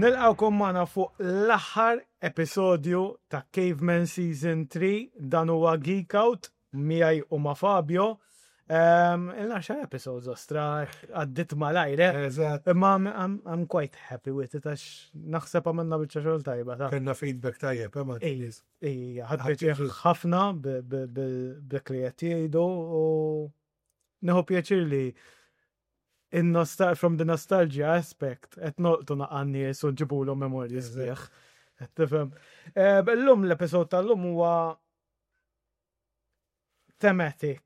Nilqgħukom magħna fuq l-aħħar episodju ta' Caveman Season 3 dan huwa Geek Out miegħi u ma' Fabio. Um, Il-10 episodes ostra għaddit malajr, eh? Eżatt. Imma I'm, I'm, I'm quite happy with it għax naħseb għamilna biċċa xogħol tajba ta' Kellna feedback tajjeb, eh, ma' Ej, ej, ħadd pjaċir ħafna b'dak li qed jgħidu u nieħu pjaċir li in from the nostalgia aspect qed nolqtu naqa' nies u nġibulhom memorji sbieħ. Qed tifhem. Eh, Illum l-episod tal-lum huwa thematic.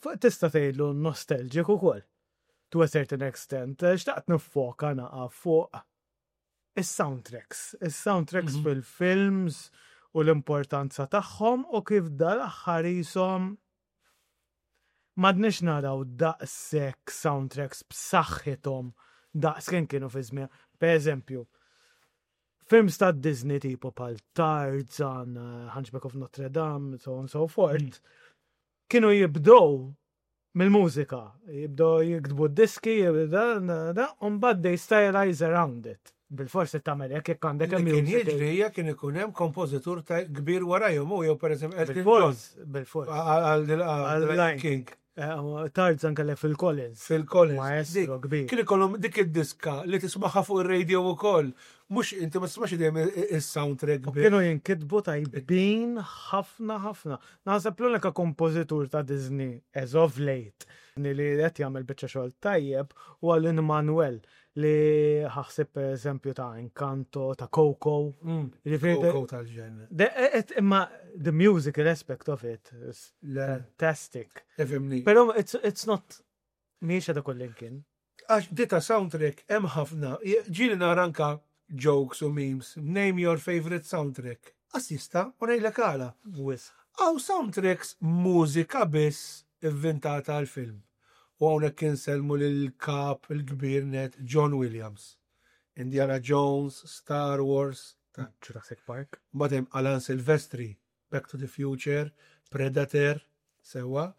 Fuq Tista' tgħidlu nostalgic ukoll. To a certain extent. Eh, Xtaqt nifoka naqa' fuq is-soundtracks. Is-soundtracks fil-films u l-importanza tagħhom u kif dal-aħħar jisom m'għadniex naraw daqshekk soundtracks b'saħħithom daqs kemm kienu fi żmien. Per eżempju, films ta' Disney tipo bħal Tarzan, eh, Hunchback of Notre Dame, so on so forth, kienu jibdow mill-mużika, jibdow jiktbu diski, da, da, da, u mbagħad they stylize around it. Bil-forsi tagħmel hekk jekk għandek Li kien musical. jiġri hija kien ikun hemm kompożitur ta' kbir warajhom u jew pereżempju Elton John Bil-fors, bil-fors. għal Għal Lion Lion King Eh, Tarzan kellek Phil Collins. Phil Collins. Maestro Dik- kbir. Kien ikollhom dik id-diska li tismaħħa fuq ir-radio wkoll. Mhux inti ma tismax dejjem is-soundtrack U biss. kienu jinkitbu tajbin ħafna ħafna. Naħseb l-unika kompożitur ta' Disney as of late li qed jagħmel biċċa xogħol tajjeb huwa Lin Manuel li ħaħseb per eżempju ta' Encanto, ta' Coco. Jiġifieri Coco tal-ġen. Imma the musical aspect of it is Le, fantastic. ifhimni. Però it's, it's not mhijiex għadha kullimkien. Għax dita soundtrack hemm ħafna. Ġieli nara anka jokes u memes. Name your favorite soundtrack. Għas jista' u ngħidlek għala. Wisq. Għaw soundtracks mużika biss inventata għal film. U hawnhekk insellmu lil kap il-kbir net John Williams. Indiana Jones, Star Wars, ta' Jurassic Park. Mbagħad hemm Alan Silvestri, Back to the Future, Predator, sewa.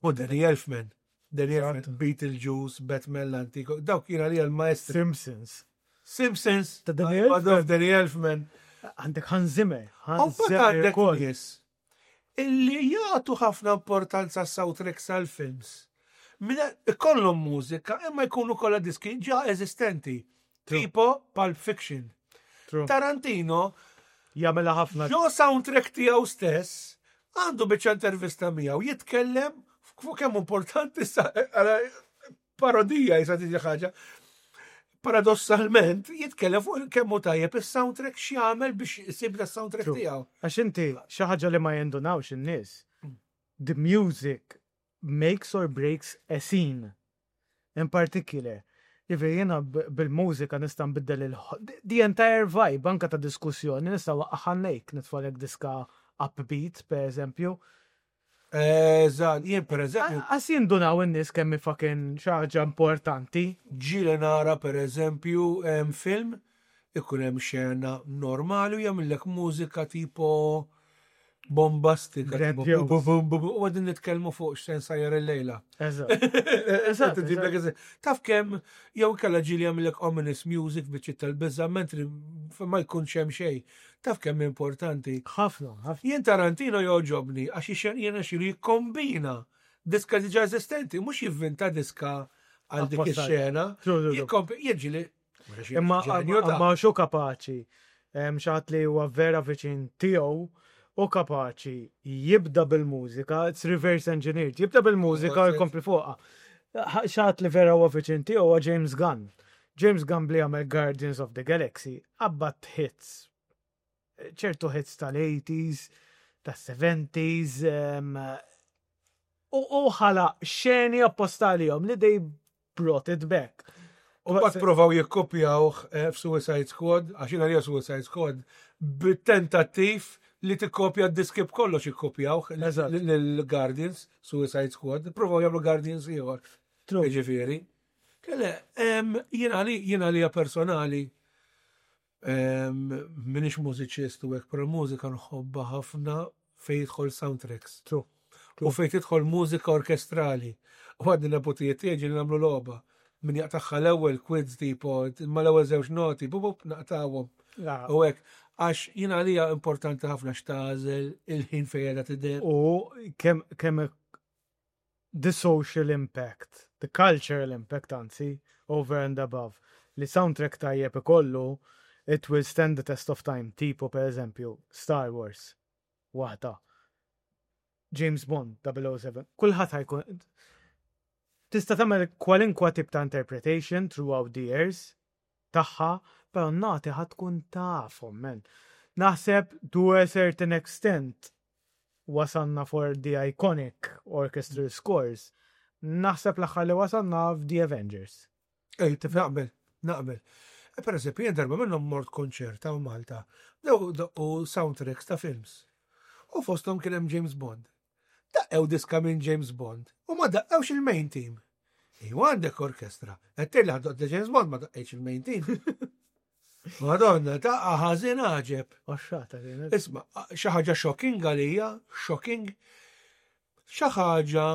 U Danny Elfman. Danny Elfman, Beetlejuice, Batman l-antiko. Dawk kienu għalija l-maestri. Simpsons. Simpsons. Ta' Danny Elfman. Danny Elfman. Għandek Hans Zimmer. U Hans mbagħad Zimmer għandek ukoll. nies illi jagħtu ħafna importanza soundtracks għal films. Mina ikollhom mużika imma jkunu kollha diski ġa eżistenti. True. Tipo Pulp Fiction. True. Tarantino Jagħmilha ħafna. ġo soundtrack tiegħu stess għandu biċċa intervista miegħu jitkellem fuq kemm importanti sa għala parodija jisa tiġi ħaġa. Paradossalment jitkellem fuq kemm hu tajjeb is-soundtrack x'jagħmel biex isib da soundtrack True. tiegħu. Għax inti xi ħaġa li ma jindunawx in-nies. The music makes or breaks a scene. In particular. Jiġifieri jiena bil-mużika nista' nbiddel il the entire vibe anka ta' diskussjoni nista' waqqaħannejk nitfalek diska upbeat per eżempju. Eżatt, jien per eżempju Għas jindunaw in-nies kemm hi fucking xi ħaġa importanti. ġieli nara per eżempju em, film ikun hemm xena normali u jagħmellek mużika tipo bombastika. tipo Grandiose. bum, bum, bum, bum, U għadin nitkellmu fuq x'sen sajjar il-lejla. Eżatt. Eżatt, Tġiblek eżatt. Taf kemm jew kellha ġieli jagħmlek ominous music biċċi tal-biża' mentri ma jkunx hemm xejn. Taf kemm importanti. Ħafna, ħafna. Jien Tarantino joġobni għax ixen jiena xilu jikkombina diska diġà eżistenti, mhux jivvinta diska għal dik Apposta. ix-xena. True, true, true. Jikkompi jiġi Imma ġenju ta' imma xu kapaċi Em, xi ħadd li huwa vera viċin tiegħu u kapaċi jibda bil-mużika, it's reverse engineered, jibda bil-mużika u jkompli fuqha. Xi ħadd li vera huwa viċin tiegħu huwa James Gunn. James Gunn li għamel Guardians of the Galaxy, qabbat hits. ċertu hits tal-80s, tas-70s, em, u u ħalaq xeni apposta għalihom li they brought it back. U mbagħad provaw jikkopjawh eh, f'Suicide Squad, għax jiena lija Suicide Squad, bit-tentattiv li tikkopja d-diski b'kollox jikkopjawh Eżatt. lill-Guardians, Suicide Squad, provaw jagħmlu Guardians ieħor. True. Jiġifieri. Kelle, em, jiena li jiena li personali em, minix mużiċist u hekk, però mużika nħobbha ħafna fejn jidħol soundtracks. True. U fejn tidħol mużika orkestrali. U għadni nepotijiet tiegħi ġieli nagħmlu logħba. Min jaqtagħha l-ewwel quiz tipo, imma l-ewwel żewġ noti, bup bup naqtawhom. U hekk, għax jiena għalija importanti ħafna x'tagħżel il-ħin fejn qiegħda tidher. U kemm kemm the social impact, the cultural impact anzi, over and above, li soundtrack tajjeb ikollu, it will stand the test of time, tipo per eżempju, Star Wars, waħda. James Bond 007, kulħadd ħa jkun tista' tagħmel kwalinkwa tip ta' interpretation throughout the years tagħha, però nati ħa tkun tafhom, man. Naħseb to a certain extent wasalna for the iconic orchestral scores. Naħseb l-aħħar li wasalna f'The Avengers. Ej, naqbel, naqbel. E, per eżempju, jien darba minnhom mort konċert hawn Malta, bdew doqqu soundtracks ta' films. U fosthom kien hemm James Bond. Daqqew diska minn James Bond u ma daqqewx il-main team. Iwa għandek orkestra. Qed tgħid li ħadoq James Bond ma daqqejx il-main team. Madonna, ta' ħażin għaġeb. Oxxata kienet. Isma' xi ħaġa shocking għalija, shocking. Xi ħaġa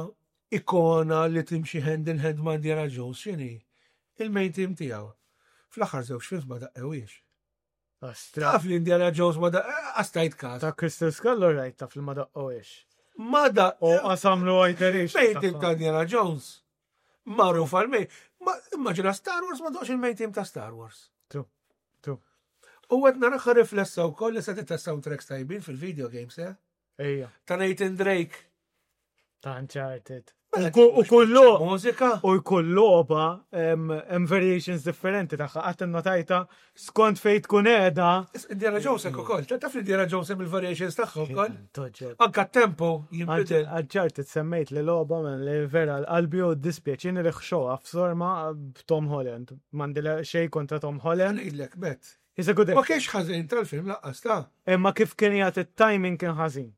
ikona li timxi hand in hand ma' Indiana Jones x'inhi? Il-main team tiegħu. Fl-aħħar żewġ films ma daqqewiex. Astra. Taf li Indiana Jones ma daqqewiex, stajt każ. Ta' Crystal Skull all right taf li ma daqqewiex. Ma daqqew. U qasamlu għajterix. Main team ta' Indiana Jones. Magħruf għal main. Immaġina Star Wars ma doqx il-main team ta' Star Wars. True. True. U għed naraħħa riflessa u koll li se ta' soundtracks tajbin fil-video games, eh? Ejja. Ta' Nathan Drake. Ta' Uncharted. Mela, u kull mużika. U kull logħba hemm variations differenti tagħha qatt innotajta skont fejn tkun qiegħda. Indiana Jones hekk ukoll. Taf li Indiana Jones hemm il-variations tagħha wkoll. Anka tempo jinbidel. Uncharted semmejt li logħba men li vera l-qalbi u dispjaċini li ħxoha f'sorma b'Tom Holland. M'għandi xejn kontra Tom Holland. Ngħidlek bet. He's a good Ma kienx ħażin tal-film laqqas ta'. Imma kif kien jagħti t-timing kien ħażin.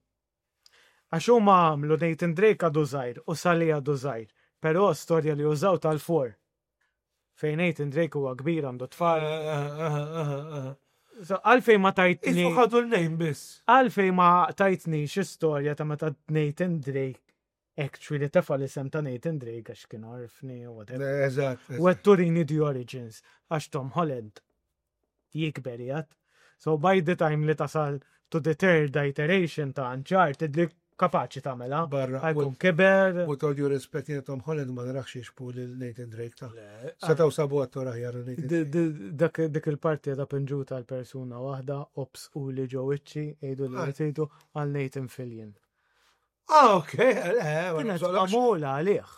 Għax huma għamlu Nathan Drake għadu żgħir u Sully għadu żgħir, però storja li użaw tal-four. Fejn Nathan Drake huwa kbir għandu tfal. So, għalfejn ma tajtni. Isu ħadu l-name biss. Għalfejn ma tajtni xi storja ta' meta Nathan Drake actually tefa l-isem ta' Nathan Drake għax kien orfni u whatever. Eżatt. U għed turini the origins għax Tom Holland jikber jgħat. So by the time li tasal to the third iteration ta' Uncharted li kapaċi tagħmela. Barra. Ħajkun kiber. With all due respect, jiena Tom Holland ma narax jixbu lil Nathan Drake ta' Setaw sabu attor aħjar Nathan Drake. Dik il-parti ta' pinġuta għal persuna waħda, ops u li ġo wiċċi, jgħidu li ah. jgħidu għal Nathan Fillion. Ah, ok, eh, Kienet magħmula għalih.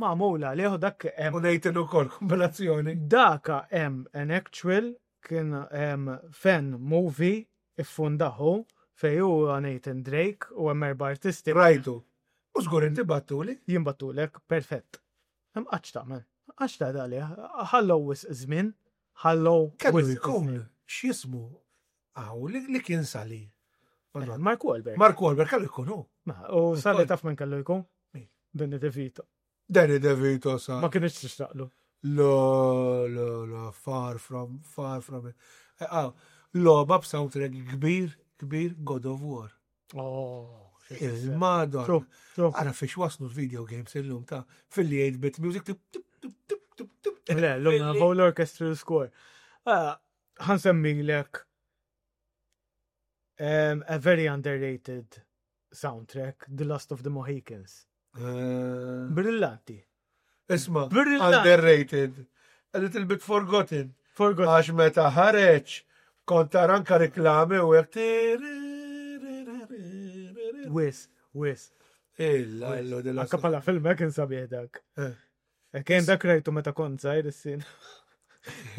Magħmula għalih u dak hemm. U Nathan ukoll kombinazzjoni. Daka hemm an actual kien hemm fan movie iffundahu fej huwa Nathan Drake u hemm erba' artisti. Rajtu. U żgur inti battuli. Jien battulek, perfett. Hemm qatt tagħmel. Għax ta' għalih, ħallow wisq żmien, ħallow. Kellu jkun x'jismu Aw, li kien Sally. Eh, Mark Wahlberg. Mark Wahlberg kellu jkun hu. U Sally taf minn kellu jkun? Danny DeVito. Danny DeVito sa. Ma kienx tixtaqlu. Lo, lo, lo, far from, far from it. Eh, ah, Loba b'soundtrack kbir, kbir God of War. Oh, Il-madon. Ara fiex waslu l-video games illum ta' fil-li 8-bit music. Le, l-lum whole orchestral score. Ah, ħansemmilek um, a very underrated soundtrack, The Last of the Mohicans. Uh, Brillanti. Isma, underrated. A little bit forgotten. Forgotten. Għax meta ħareġ, kont tara anka reklami u hekk. Wis, wis. Illa, illa, Anka pala film kien sabiħ dak. Eh. Eh, kien dak rajtu meta kont żgħir is-sin.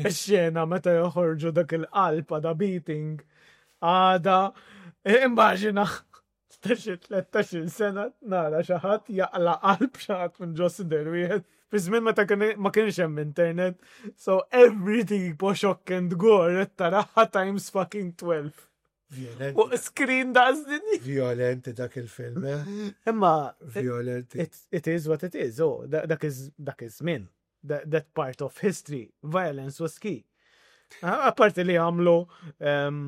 Ix-xena meta joħorġu dak il-qalb għada beating għada eh, immaġina ta' xi 13 sena nara xi ħadd jaqla qalb xi ħadd minn ġo sider wieħed. Fi żmien meta ma kienx hemm internet, so everything po shock and gore taraha times fucking 12. Violenti. Fuq screen daqs dinja. Violenti dak il-film, eh? Imma. Violenti. It, it is what it is, oh, dak dak iż-żmien. That, that part of history, violence was key. Apparti li għamlu um,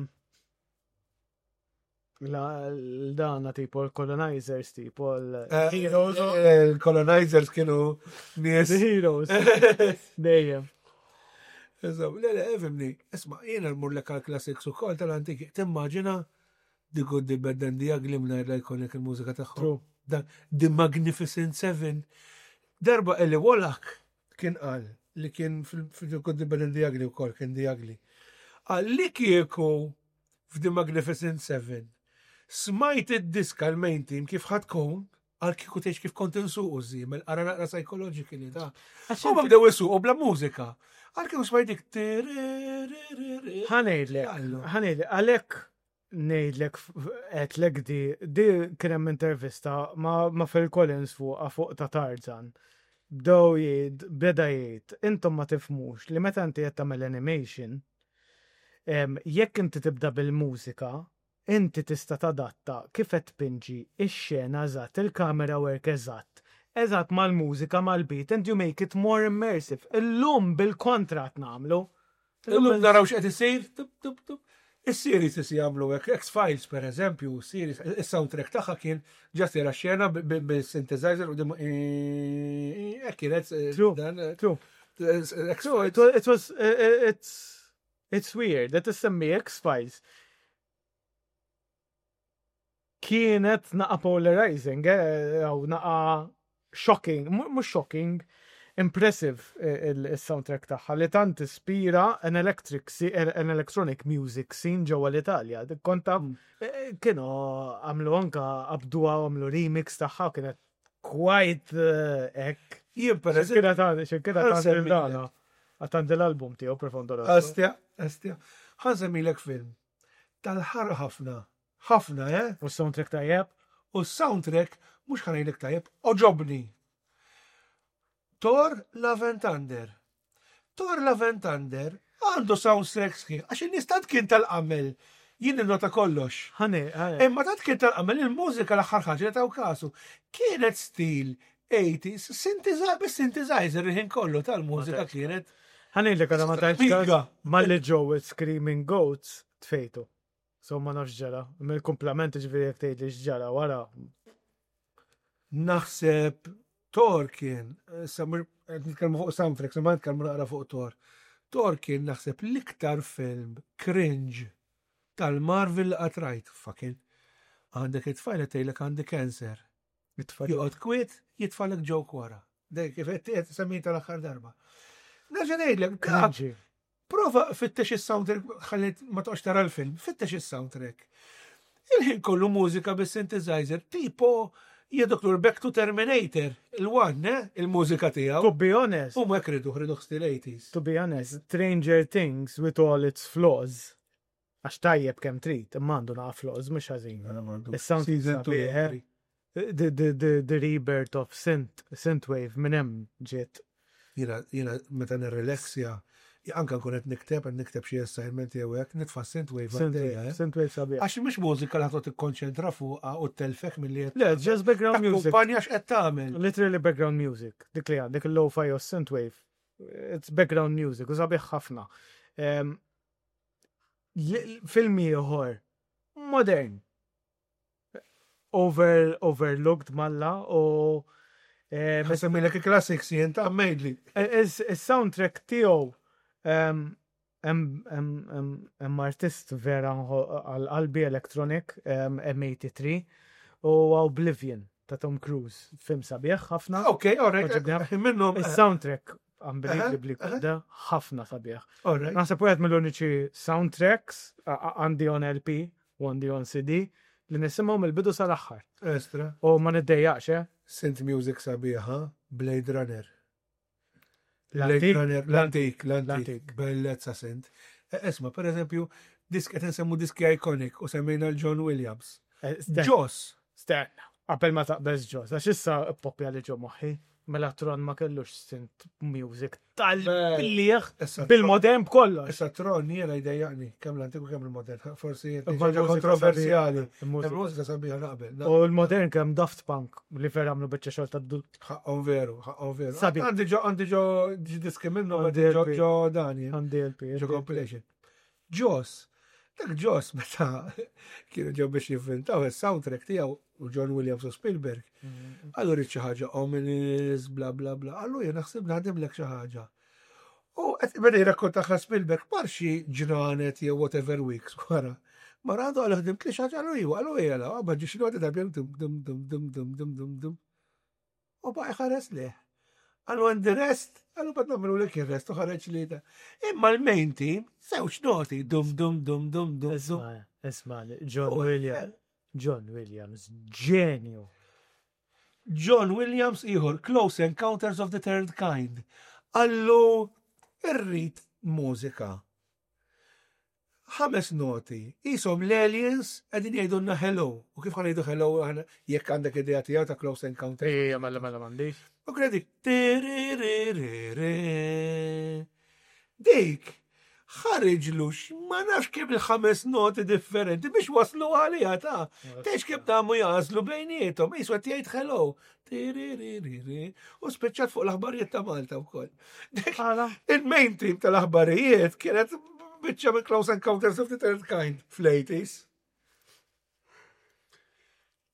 L-dana tipo l-colonizers tipo l-heroes. Eh, eh, l-colonizers kienu nies. The heroes. Dejjem. Eżatt, le, le, fimni, isma, jiena nmur lek għal-classics u kol tal-antiki, timmaġina The Good, The Bad and The Ugly mingħajr l-iconic il-mużika tagħhom. The Magnificent Seven. Darba Eli Wallach kien qal li kien fil-The Good, The Bad and The Ugly wkoll kien The Ugly. Qal li kieku f'The Magnificent Seven smajt id-diska l-main team kif ħa tkun, għal kieku tgħix kif kont insuqu żiemel, ara naqra psychologically ta' Huma bdew isuqu bla mużika. Għal kieku smajt dik Ħa ngħidlek, ħa ngħidlek, għalhekk ngħidlek għedtlek di, di kien hemm intervista ma, ma Phil Collins fuqha fuq ta' Tarzan. Bdew jgħid, beda jgħid, intom ma tifhmux li meta inti qed tagħmel animation, jekk inti tibda bil-mużika, inti tista' tadatta kif qed tpinġi x-xena eżatt, il-camera work eżatt, eżatt mal-mużika, mal-beat, and you make it more immersive. Illum bil-kontra qed nagħmlu. Illum naraw x'qed isir, tup, tup, tup. Is-series isi jagħmlu hekk, X-Files per eżempju, series, is-soundtrack tagħha kien ġast jara xena bil-synthesizer u dim hekk kienet. True, true. True, it was, it's, it's weird, that issemmi X-Files. Kienet naqa polarizing, eh, jew naqa shocking, mhux shocking, impressive eh, il-soundtrack tagħha li tant ispira an electric an electronic music scene ġewwa l-Italja. Konta mm. eh, kienu għamlu anka qabduha għamlu remix tagħha kienet quite hekk. Jien per eżempju. Kienet għandi dana. Għandi l-album tiegħu Profondo Rosso. Astja, astja. Ħa nsemmilek film tal-ħara ħafna. Ħafna, eh? U s-soundtrack tajjeb? U s-soundtrack, mhux ħa ngħidlek tajjeb, oġobni. Thor Love and Thunder. Thor Love and Thunder għandu soundtrack sħiħ, għax in-nies tant kien tal-qamel, jien nota kollox. Ħani, ħani. Imma tant kien tal-qamel il-mużika l-aħħar ħaġa li taw kasu. Kienet stil 80s, synthesizer, bis-synthesizer il-ħin kollu tal-mużika kienet. Ħa ngħidlek għadha ma tajtx każ malli ġew Screaming Goats tfejtu. So ma nafx ġara. Mill-kumplament ġifieri jekk tgħidli x'ġara wara. Naħseb Thor kien, issa qed nitkellmu fuq soundtrack, ma nitkellmu naqra fuq Thor. Thor kien naħseb l-iktar film cringe tal-Marvel li qatt rajt, fucking. Għandek it-tfajla tgħidlek għandi cancer. Joqgħod kwiet, jitfalek joke wara. Dej kif qed semmi tal-aħħar darba. Nerġa' ngħidlek, prova fittex is-soundtrack, ħalli ma toqgħodx tara l-film, fittex is-soundtrack. Il-ħin kollu mużika bis-synthesizer, tipo jadoktur Back to Terminator, il-one, eh? il-mużika tiegħu. To be honest. U ma kridu, kridu stil 80s. To be honest, Stranger Things with all its flaws, Għax tajjeb kemm trid, imma għandu naqa' flaws mhux ħażin. Is-sound Season 2 eh? The, the, the, the rebirth of synth, synthwave minn hemm ġiet. Jiena jiena meta nirrelaxja, anka nkun qed nikteb, qed nikteb xi assignment jew hekk, nitfa' synthwave għaddejja. Eh? Synthwave sabiħ. Għax mhux mużika li ħadd tikkonċentra fuqha u telfek milli qed. Le, just background music. Kumpanja x'qed tagħmel. Literally background music. Dik li għandek il-lo-fi u synthwave. It's background music u sabiħ ħafna. Ehm, Film ieħor modern. Over, overlooked malla u eh, Semmilek il-classics jien ta' mejdli. Eh, is-soundtrack tiegħu hemm artist vera għal qalbi electronic M83 u Oblivion ta' Tom Cruise, film sabiħ ħafna. Ok, alright. Minnhom. Is-soundtrack unbelievably good, ħafna sabiħ. Naħseb wieħed mill-uniċi soundtracks għandi on LP u għandi on CD li nisimgħu mill-bidu sal-aħħar. Estra. U ma niddejjaqx, eh? Synth music sabiħa, Blade Runner. Blade Runner, l-antik, l-antik, bellezza synth. E, esma, per eżempju, disk qed nsemmu diski iconic u semmejna l-John Williams. Eh, Joss. Stenna, qabel ma taqbeż Joss, għax issa poppja li ġo moħħi. Mela Tron ma kellux synth music tal-bliħ bil-modern b'kollox. Issa Tron jiena jdejjaqni kemm l-antik u kemm il-modern. Forsi ħaġa kontroversjali. Il-mużika sabiħa naqbel. U l-modern kemm Daft Punk li vera għamlu biċċa xogħol ta' Ħaqqhom veru, ħaqqhom veru. Sabiħ. Għandi ġo għandi ġo diski minnhom għandi ġo Dani. Għandi LP. Ġo compilation. Ġos. Dak Jaws meta kienu ġew biex jivvintaw is-soundtrack tiegħu u John Williams u Spielberg. Għallu rrid xi ħaġa ominous, bla bla bla. Għallu jien naħseb naħdimlek xi ħaġa. U qed beda jirrakkontaha Spielberg mar xi ġranet jew whatever weeks wara. Mar għandu għallu ħdimt li xi ħaġa għallu iwa, għallu ejja, għabba ġi xi noti ta' dum dum dum dum dum dum dum dum. U baqa' jħares leh. Għallu and the rest, għallu bad namlu l il-rest u ħareġ li ta. Imma l-main team, żewġ noti, dum dum dum dum dum. Isma, isma, John Williams, John Williams, ġenju. John Williams ieħor, Close Encounters of the Third Kind. Għallu irrid mużika. Ħames noti, qishom l-aliens qegħdin jgħidulna hello. U kif ħa ngħidu hello aħna jekk għandek idea tiegħu ta' Close Encounter? Ejja, mela mela m'għandix. U kien dik Dik ħariġlu ma nafx kemm il-ħames noti differenti biex waslu għaliha ta' Tgħidx kemm damu jagħżlu bejniethom, qisu qed jgħid hello. U spiċċat fuq l-aħbarijiet ta' Malta wkoll. Il-main team tal-aħbarijiet kienet biċċa minn Close Encounters of the Third Kind fl-80s.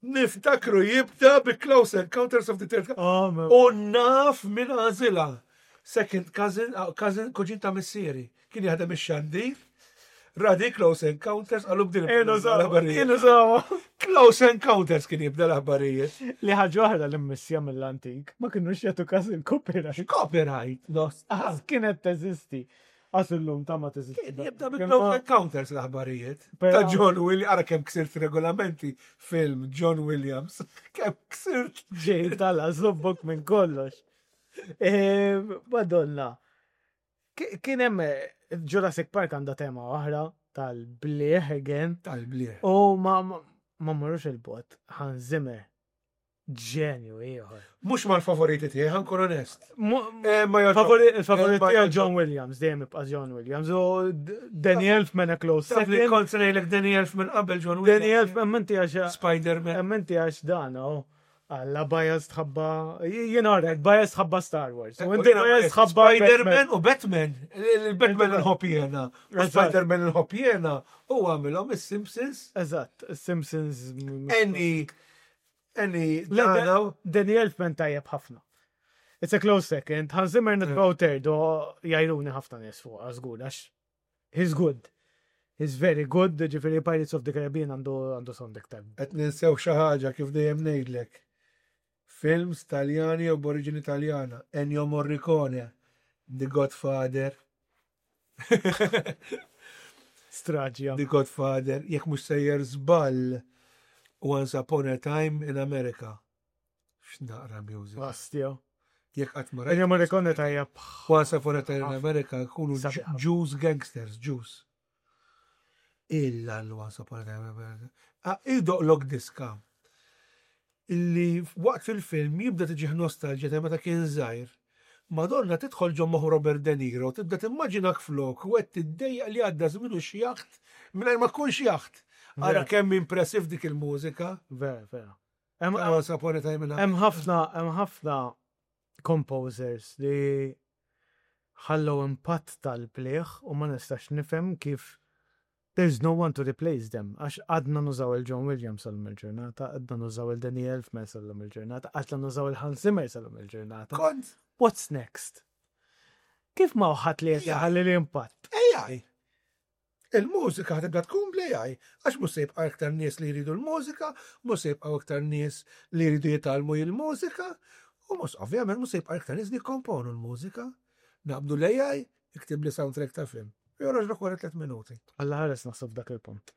Niftakru jibda bi Close Encounters of the Third Kind. Oh, U naf minn għażilha. Second cousin, ah, cousin, kuġin ta' missieri. Kien jaħdem ix-xandir. Radi Close Encounters għallu bdil. Kienu sawa. Close Encounters kien jibda l-aħbarijiet. Li ħaġa oħra li mmissja mill-antik, ma kienux jagħtu każ il-copyright. Copyright, no. Kienet teżisti. Għas illum ta' ma teżisti. Kien jibda bi Close Encounters l-aħbarijiet. Ta' John Williams, ara kemm ksirt regolamenti film John Williams. Kemm ksirt. Ġej tala zobbok minn kollox. Eh, Madonna. Kien hemm eh, Jurassic Park għandha tema oħra tal-blieh again. Tal-blieh. U ma ma marrux il-bot, Hans Zimmer. Ġenju ieħor. Mhux mal-favoriti tiegħi, ħankun onest. Eh, il-favorit eh, tiegħi John Williams, dejjem ibqa' John Williams. U Danny Elfman a close second. Kont se ngħidlek Danny Elfman qabel John Williams. Danny Elfman menti għax Spider-Man. Menti għax dan, oh. Alla bias tħabba, jien għarek, bias tħabba Star Wars. U inti bias tħabba Spider-Man u Batman. Il-Batman nħobb jena. U Spider-Man nħobb jena. U għamilhom is-Simpsons. Eżatt, is-Simpsons. Any, any, Danny Elfman tajjeb ħafna. It's a close second. Hans Zimmer nitbaw third u jajruni ħafna nies fuq, żgur, għax He's good. He's very good, ġifiri Pirates of the Caribbean għandu għandu sound iktar. Qed ninsew xi ħaġa kif dejjem ngħidlek. Films Taljani jew b'oriġini Taljana, Ennio Morricone, The Godfather. Straġja. The Godfather, jekk mhux sejjer żball Once Upon a Time in America. X'naqra music. Bastja. Jekk qatt ma rajt. Morricone tajjeb. Once Upon a Time in America kunu Jews gangsters, Jews. Illa l-Once Upon a Time in America. Ah, idoqlok diska illi waqt fil-film jibda tiġih nostalġja ta' meta kien żgħir. Madonna tidħol ġo moħħ Robert De Niro, tibda timmaġinak flok u qed tiddejjaq li għadda żmien u xjaħt mingħajr ma tkun xjaħt. Ara kemm impressiv dik il-mużika. Vera, vera. Hemm ħafna hemm ħafna composers li ħallew impatt tal-bliħ u ma nistax nifhem kif there's no one to replace them. Għax għadna nużaw il-John Williams sal-lum il-ġurnata, għadna nużaw il-Danny Elfman sal-lum il-ġurnata, għadna nużaw il-Hans Zimmer sal-lum il-ġurnata. Kont. What's next? Kif ma ħadd li ħalli l-impatt? AI. Il-mużika ħa tibda tkun bl-AI, għax mhux se jibqa' iktar nies li jridu l-mużika, mhux se jibqgħu iktar nies li jridu jitgħallmu il-mużika, u mhux ovvjament mhux se jibqa' iktar nies li jikkomponu l-mużika. Naqbdu l-AI, iktibli soundtrack ta' film. U joħroġlok wara tliet minuti. Alla ħares naħseb f'dak il-punt.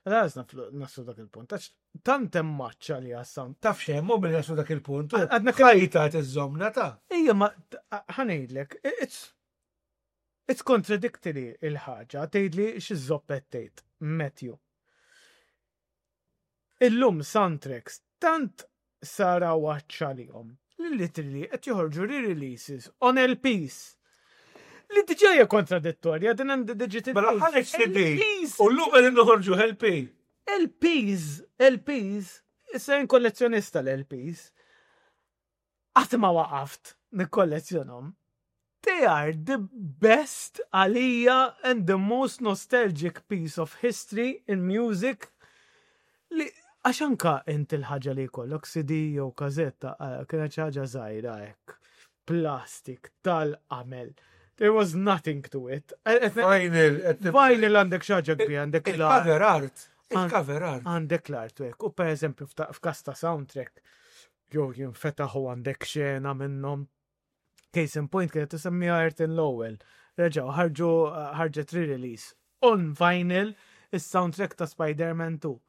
Alla ħares naħseb f'dak il-punt. Għax tant hemm maċċa li għas-sound. Taf x'hemm hu billi naslu dak il-punt. Għadna ħajta tiżżomna ta'. Ejja ma ħa ngħidlek, it's It's contradictory il-ħaġa, tgħidli x'iż-żopp qed tgħid, Matthew. Illum soundtracks tant sar għawaġġ għalihom li literally qed joħorġu re-releases on LPs. Li diġà hija kontradittorja din għandi digital. Mela ħareġ CD u llum qegħdin noħorġu LP. LPs, LPs, issa jien kollezzjonista l-LPs. Qatt ma waqaft nikkollezzjonhom. They are the best għalija and the most nostalgic piece of history in music li għax anka inti l-ħaġa li jkollok CD jew kazetta eh, kienet xi ħaġa żgħira hekk. Plastik tal-qamel. There was nothing to it. Eh, eh, Vinyl. Vinyl għandek xi ħaġa kbira, għandek Il-cover art. Il-cover art. Għandek l-art hekk. U per eżempju f'kas ta' soundtrack, jew jinfetaħ u għandek xena minnhom. Case in point kienet tisemmiha Ayrton Lowell. Reġgħu ħarġu ħarġet re-release on vinyl is-soundtrack ta' Spider-Man 2.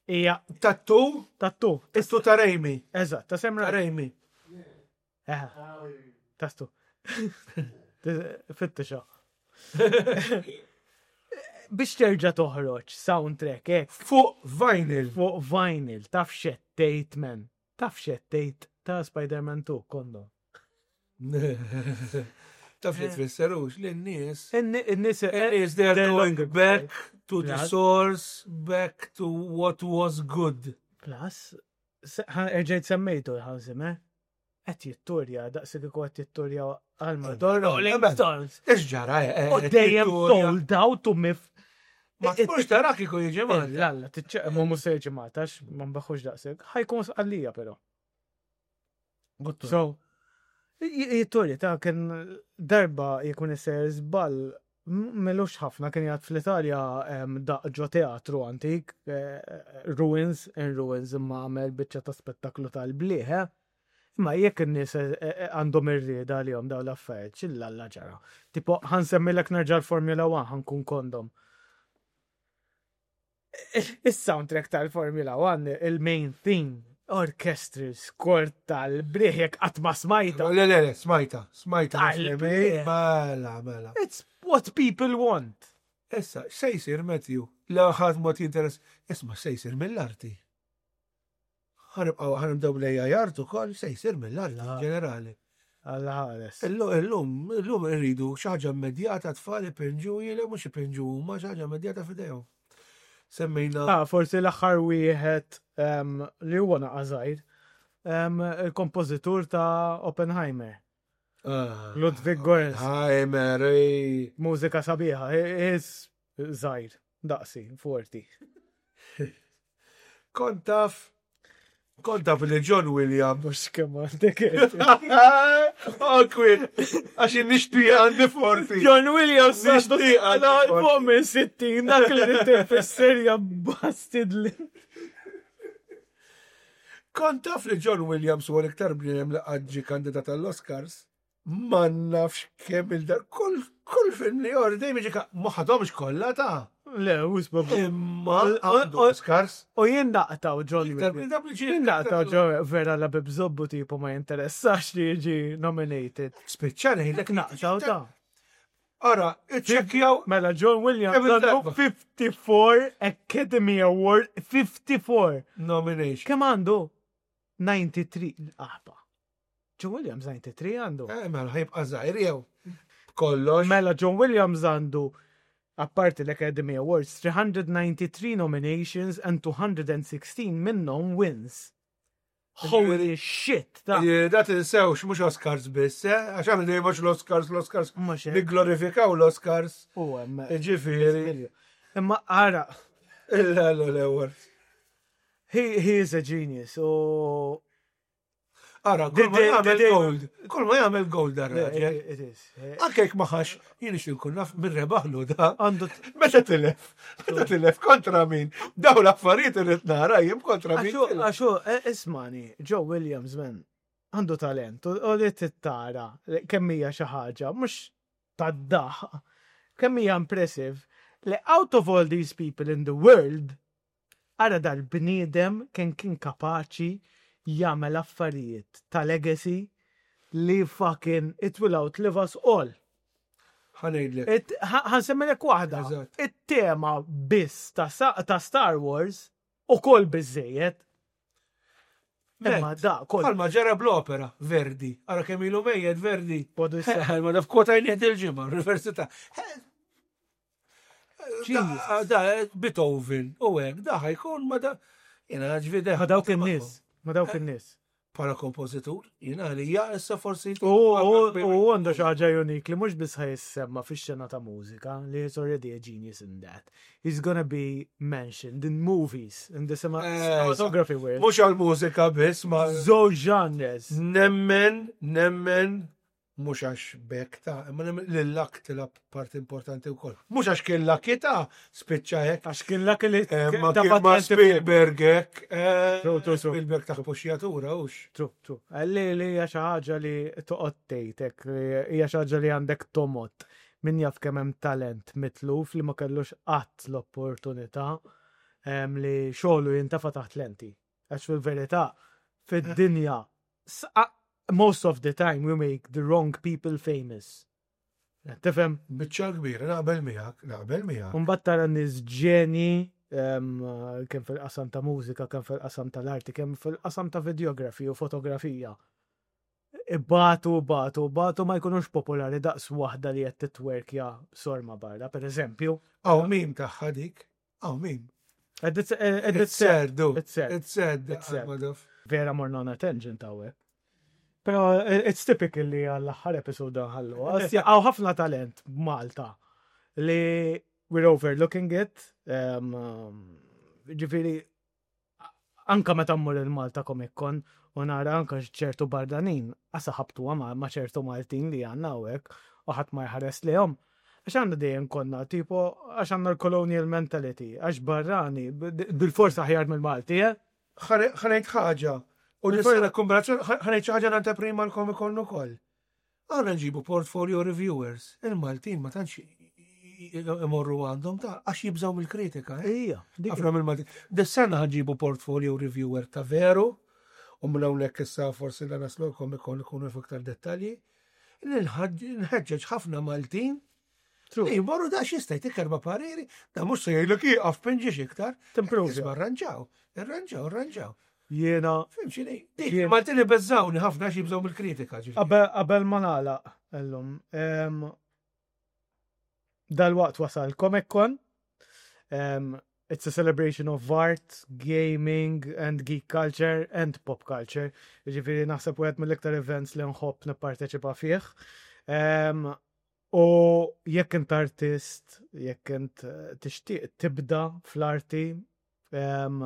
Hija Tattu? Tattu. Tattu ta' Raimi. Eżatt, ta' Sam Raimi. Eh, tattu. Fittixa. Biex terġa' toħroġ soundtrack hekk. Fuq vinyl. Fuq vinyl, taf xettejt man. Taf x'qed tgħid ta' Spider-Man 2, kondo. Taf li tfisser hux li n-nies. In-nies In-nies they are going back to the source, back to what was good. Plus, erġajt semmejtu l-Hans Zimmer. Qed jitturja, daqs kieku qed jitturja għal Madonna. Rolling Stones. Ix ġara, eh, U dejjem sold out u mif. Ma tmurx tara kieku jiġi Malta. Lalla, tiċċeq, ma mhux se jiġi Malta, għax ma nbaħħux daqshekk. Ħajkun sqallija però. So, jitturja ta' kien darba jekun isser żball M'ilux ħafna kien jgħid fl-Italja daqq ġo teatru antik, eh, ruins in ruins imma għamel biċċa ta' spettaklu tal-blieh. Eh. Imma jekk in-nies eh, għandhom ir-rieda għalihom dawn l-affarijiet, x'illalla ġara. Tipo, ħansemmilek nerġa' l-Formula 1 ħankun kondom. Is-soundtrack tal-Formula 1, il-main theme, orchestral score tal-briħ jekk qatt ma smajta. Le, le, le, smajta, smajta. Mela, mela. It's what people want. Issa, se jsir Matthew, la ħadd mod jinteress, isma' se jsir mill-arti. Ħanibqgħu ħanibdew lejja jart ukoll se jsir mill-arti ġenerali. Alla ħares. Illum, illum irridu xi ħaġa immedjata tfal ipinġu jiele mhux ipinġu huma xi ħaġa immedjata f'idejhom. Semmejna. Ah, forsi l-aħħar wieħed ehm, li huwa naqa' żgħir, ehm, il-kompożitur ta' Oppenheimer. Ah, Ludwig Göransson. Heimer, Mużika sabiħa, is żgħir, daqsi, forti. Kont taf, kont taf li John Williams. Mux kemm għandek. Awkward, għax nixtieq għandi forti. John Williams nixtieq għandi fuq minn 60 dak li tifisser ja bastid li. Kont taf li John Williams huwa l-iktar bniedem li qatt ġie kandidat għall-Oscars. Ma nafx kemm il-dar, kull kull film li jor dejjem jiġi ma ħadhomx kollha ta' Le, u sbab. Imma għandu Oscars. U jien naqtaw John Williams. Jien naqtaw John vera la bibżobbu tipo ma jinteressax li jiġi nominated. Spiċċa ngħidlek naqtaw ta' Ara, iċċekkjaw. Mela John Williams għandu 54 Academy Award, 54. Nomination. Kemm għandu? 93 aħba. John Williams 93 għandu. Eh, mela ħajbqa' żgħir jew kollox. Mela John Williams għandu apparti l-Academy Awards 393 nominations and 216 minnhom wins. Holy shit! Ta' eh, da tinsewx mhux Oscars biss, eh? Għax aħna dejjem mhux l-Oscars, l-Oscars. Nigglorifikaw l-Oscars. U hemm. Eh, ġifieri. Imma ara. Il-awards. He, he is a genius. U Ara, kull ma jagħmel gold, kull ma jagħmel gold dar raġel. It is. Anke jekk ma ħax, jien ixtieq nkun naf min rebaħlu da. Għandu meta tilef, meta tilef kontra min. Daw l-affarijiet irid nara jien kontra min. Għaxu, e, ismani, Joe Williams man, għandu talent u li tittara kemm hija xi ħaġa, mhux tad-daħ, kemm hija impressive li out of all these people in the world, Ara dal-bniedem kemm kien kapaċi jagħmel affarijiet ta' legacy li fucking it will outlive us all. Ħa ngħidlek. Ħa nsemmilek waħda. It-tema biss ta' Star Wars ukoll biżejjed. Imma da, kol. Bħalma ġara bl-opera, Verdi. Ara kemm ilu mejjet Verdi. Podu issa. Ma naf kwota jnieħ il-ġimgħa, l-università. Da, Beethoven, u hekk, da ħajkun ma da. Jena ġvide. Ma dawk in-nies. Ma dawk in-nies. Bħala kompożitur, jiena għalija issa forsi. U għandu xi ħaġa unik li mhux biss ħa jissemma fix-xena ta' mużika, li he's already a genius in that. He's gonna be mentioned in movies, in the cinematography world. Mhux għal-mużika biss, ma. Żewġ genres. Nemmen, nemmen, Mhux għax b'hekk ta' imma li l-luck tilgħab parti importanti wkoll. Mhux għax kien lucky ta' spiċċa hekk. Għax kien lucky li eh, ma kien ma Spielberg hekk. Eh, Spielberg ta' puxjatura hux. True, true. Eh, li li hija xi ħaġa li toqgħod tgħidek, hija xi ħaġa li għandek tomot. Min jaf kemm hemm talent mitluf li ma kellux qatt l-opportunità li xogħlu jintafa' taħt lenti. Għax fil-verità, fid-dinja most of the time we make the wrong people famous. Tifhem? Biċċa kbira, naqbel miegħek, naqbel miegħek. Mbagħad tara nies ġeni kemm fil-qasam ta' mużika, kemm fil-qasam tal-arti, kemm fil-qasam ta' videografi u fotografija. Ibatu, batu, batu ma jkunux popolari daqs waħda li qed titwerkja sorma barra, per eżempju. Aw min tagħha dik? Aw min? It's sad, dude. It's sad. It's sad. It's sad. Vera morna on a tangent hawnhekk. Pero eh, it's typical li għall-aħħar episode nħallu. Għaw ħafna talent Malta li we're overlooking it. Um, ġifiri, anka meta mmur il-Malta Comic Con u nara anka ċertu bardanin, għasa ħabtuha ma' ċertu Maltin li għandna hawnhekk u ħadd ma jħares lejhom. Għax għandna dejjem konna, tipo, għax għandna l-colonial mentality, għax barrani, bil-forsa aħjar mill-Malti, eh? Ħa ngħid ħaġa, u nista' kombinazzjoni, ħa ngħid xi ħaġa l-anteprima l-Comic Con ukoll. Aħna nġibu portfolio reviewers, il-Maltin ma tantx imorru għandhom ta' għax jibżaw mill-kritika. Eh? Ija. Ħafna mill-Maltin. Dis-sena ħanġibu portfolio reviewer ta' veru, u minn hawnhekk issa forsi la naslu l-Comic Con ikunu iktar dettalji. Nħeġġeġ ħafna Maltin Li jmorru da xista jtik erba pariri, da mux se jgħidlek jieqaf pinġiex iktar. Timprove. Isma rranġaw, irranġaw, irranġaw. Jiena. Fim xini? Dik, Maltin li beżawni ħafna xi jibżgħu mill-kritika. Qabel ma nagħlaq illum. Dal-waqt wasal Comic Con. It's a celebration of art, gaming and geek culture and pop culture. Ġifieri naħseb wieħed mill-iktar events li nħobb nipparteċipa fih. U jekk int artist, jekk int eh, tixtieq tibda fl-arti, um,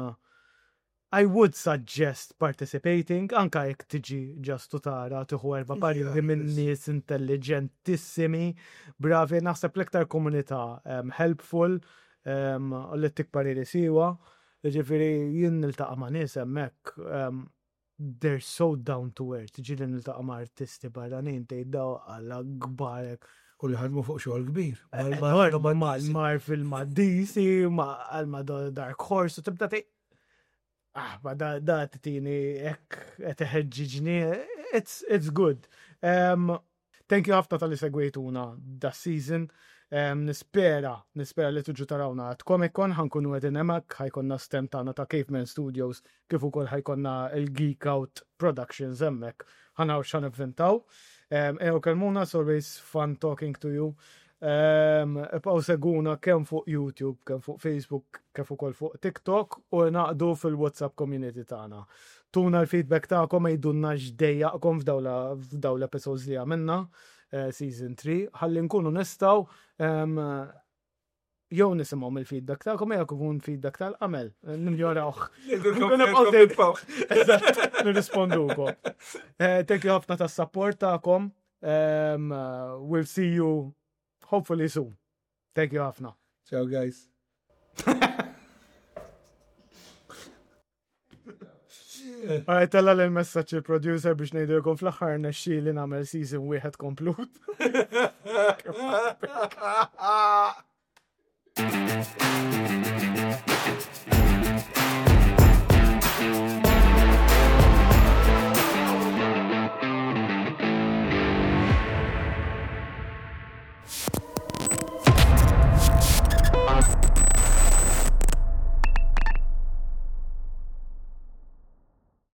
I would suggest participating, anka jekk tiġi ġastu tara tieħu erba' pariri minn nies intelligentissimi, bravi, naħseb l-iktar komunità um, helpful um, u li tik pariri siwa. Ġifieri jien niltaqa' ma' nies hemmhekk um, they're so down to earth, ġieli niltaqa' ma' artisti barranin tgħid daw alla kbarek. U li ħadmu fuq xogħol kbir. Eh, eh, Marvel ma' DC, ma' Dark Horse, u tibda tgħid ah, ma da, da titini hekk qed iħeġġiġni, it's, it's good. Um, Thank you ħafna tal-li segwejtuna da season. Um, nispera, nispera li tuġu tarawna għat Comic Con, ħankunu għedin emak, ħajkonna stand tagħna ta' Caveman Studios, kif ukoll ħajkonna il-Geek Out Productions hemmhekk. Ħanaw x'ħan ivvintaw. Um, Ew kelmuna, it's always fun talking to you. Um, Ibqgħu seguna kemm fuq YouTube, kemm fuq Facebook, kif ukoll fuq TikTok u naqdu fil-WhatsApp community tagħna. Tuna l-feedback tagħkom għidulna x'dejjaqkom f'dawn l-episodes li għamilna eh, season 3 ħalli nkunu nistgħu ehm, jew nisimgħu mill-feedback tagħkom jew ikun feedback tal-qamel nimjorawh. Eżatt, nirrispondukom. Eh, thank you ħafna tas-support tagħkom. Ehm, we'll see you hopefully soon. Thank you ħafna. Ciao guys. Għaj, tella l-messaċ il-producer biex nejdilkom fl-axar nexxi li namel season wieħed komplut.